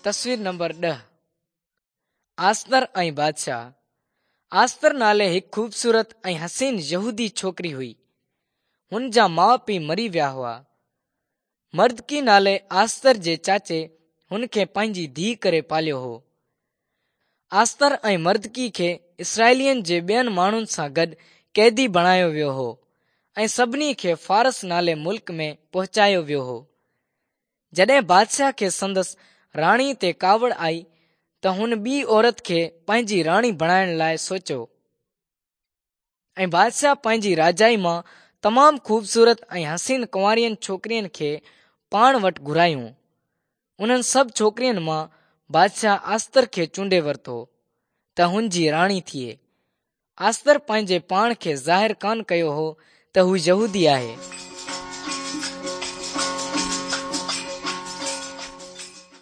تصوير number 10، Esther ۽ بادشاهه. Esther نالي هڪ خوبصورت ۽ حسين يهودي ڇوڪري هئي. هن جا ماء پيء مري ويا هئا. مردڪي نالي آستر جي چاچي هن کي پنهنجي ڌيء ڪري پاليو هو. آستر ۽ مردڪي کي اسرائيلين جي ٻين ماڻهن سان گڏ قيدي بڻايو ويو هو ۽ سڀني کي فارس نالي ملڪ ۾ پهچايو ويو هو. جڏهن بادشاهه کي سندس راڻي تي ڪاوڙ آئي ته هن ٻي عورت کي پنهنجي راڻي بڻائڻ لاء سوچيو ۽ بادشاهه پنهنجي راجائي مان تمام خوبصورت ۽ حسين ڪنوارين ڇوڪرين کي پاڻ وٽ گهرايون. انهن سڀ ڇوڪرين مان بادشاهه آستر کي چونڊي ورتو ته هن جي راڻي ٿئي. آستر پنهنجي پاڻ کي ظاهر ڪانه ڪيو هو ته هو يهودي آهي.